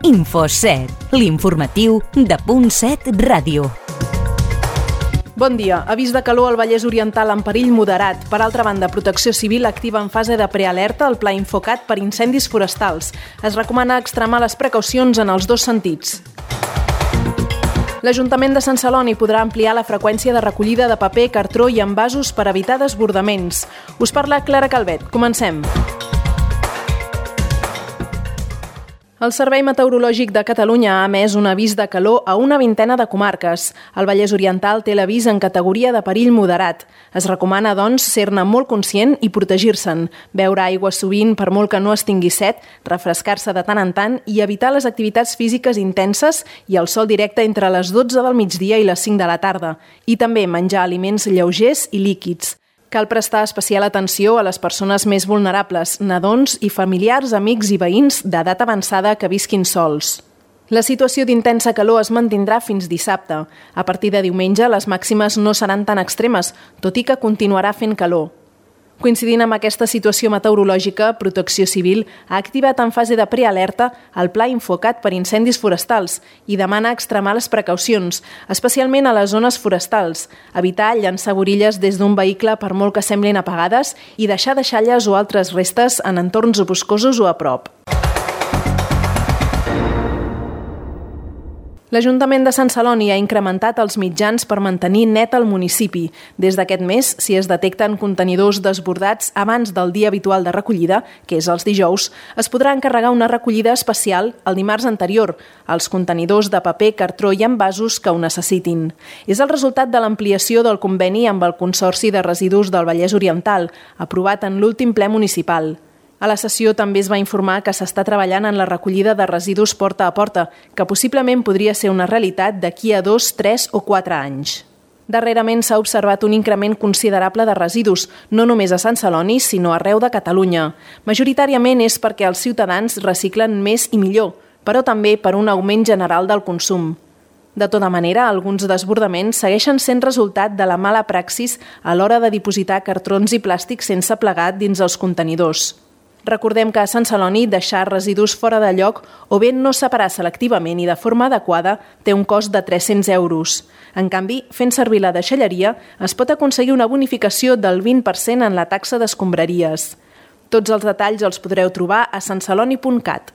Info7, l'informatiu de Punt7 Ràdio. Bon dia. Avís de calor al Vallès Oriental en perill moderat. Per altra banda, Protecció Civil activa en fase de prealerta el Pla Infocat per incendis forestals. Es recomana extremar les precaucions en els dos sentits. L'Ajuntament de Sant Celoni podrà ampliar la freqüència de recollida de paper, cartró i envasos per evitar desbordaments. Us parla Clara Calvet. Comencem. El Servei Meteorològic de Catalunya ha emès un avís de calor a una vintena de comarques. El Vallès Oriental té l'avís en categoria de perill moderat. Es recomana, doncs, ser-ne molt conscient i protegir-se'n. Beure aigua sovint per molt que no es tingui set, refrescar-se de tant en tant i evitar les activitats físiques intenses i el sol directe entre les 12 del migdia i les 5 de la tarda. I també menjar aliments lleugers i líquids. Cal prestar especial atenció a les persones més vulnerables, nadons i familiars, amics i veïns d'edat avançada que visquin sols. La situació d'intensa calor es mantindrà fins dissabte. A partir de diumenge, les màximes no seran tan extremes, tot i que continuarà fent calor. Coincidint amb aquesta situació meteorològica, Protecció Civil ha activat en fase de prealerta el Pla Infocat per incendis forestals i demana extremar les precaucions, especialment a les zones forestals, evitar llançar borilles des d'un vehicle per molt que semblin apagades i deixar deixalles o altres restes en entorns boscosos o a prop. L'Ajuntament de Sant Celoni ha incrementat els mitjans per mantenir net el municipi. Des d'aquest mes, si es detecten contenidors desbordats abans del dia habitual de recollida, que és els dijous, es podrà encarregar una recollida especial el dimarts anterior, als contenidors de paper, cartró i envasos que ho necessitin. És el resultat de l'ampliació del conveni amb el Consorci de Residus del Vallès Oriental, aprovat en l'últim ple municipal. A la sessió també es va informar que s'està treballant en la recollida de residus porta a porta, que possiblement podria ser una realitat d'aquí a 2, 3 o 4 anys. Darrerament s'ha observat un increment considerable de residus, no només a Sant Celoni, sinó arreu de Catalunya. Majoritàriament és perquè els ciutadans reciclen més i millor, però també per un augment general del consum. De tota manera, alguns desbordaments segueixen sent resultat de la mala praxis a l'hora de dipositar cartrons i plàstics sense plegar dins els contenidors. Recordem que a Sant Celoni deixar residus fora de lloc o bé no separar selectivament i de forma adequada té un cost de 300 euros. En canvi, fent servir la deixalleria, es pot aconseguir una bonificació del 20% en la taxa d'escombraries. Tots els detalls els podreu trobar a santceloni.cat.